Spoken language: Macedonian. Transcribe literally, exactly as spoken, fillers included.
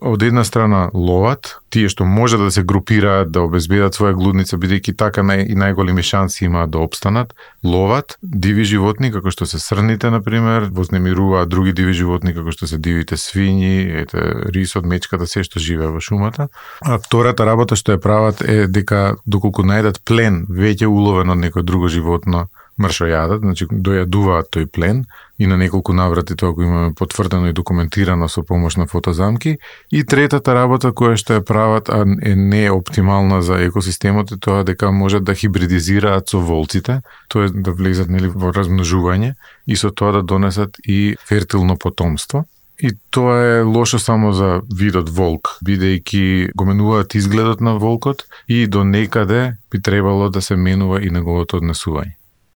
од една страна ловат, тие што може да се групираат, да обезбедат своја глудница, бидејќи така нај, и најголеми шанси имаат да опстанат, ловат диви животни, како што се срните, например, вознемируваат други диви животни, како што се дивите свињи, ете, рисот, мечката, се што живее во шумата. А втората работа што ја прават е дека доколку најдат плен, веќе уловен од некој друго животно, мршо јадат, значи дојадуваат тој плен и на неколку наврати тоа го имаме потврдено и документирано со помош на фотозамки. И третата работа која што ја прават, а е не оптимална за екосистемот, е тоа дека можат да хибридизираат со волците, тоа е да влезат нели во размножување и со тоа да донесат и фертилно потомство. И тоа е лошо само за видот волк, бидејќи го менуваат изгледот на волкот и до некаде би требало да се менува и неговото однесување.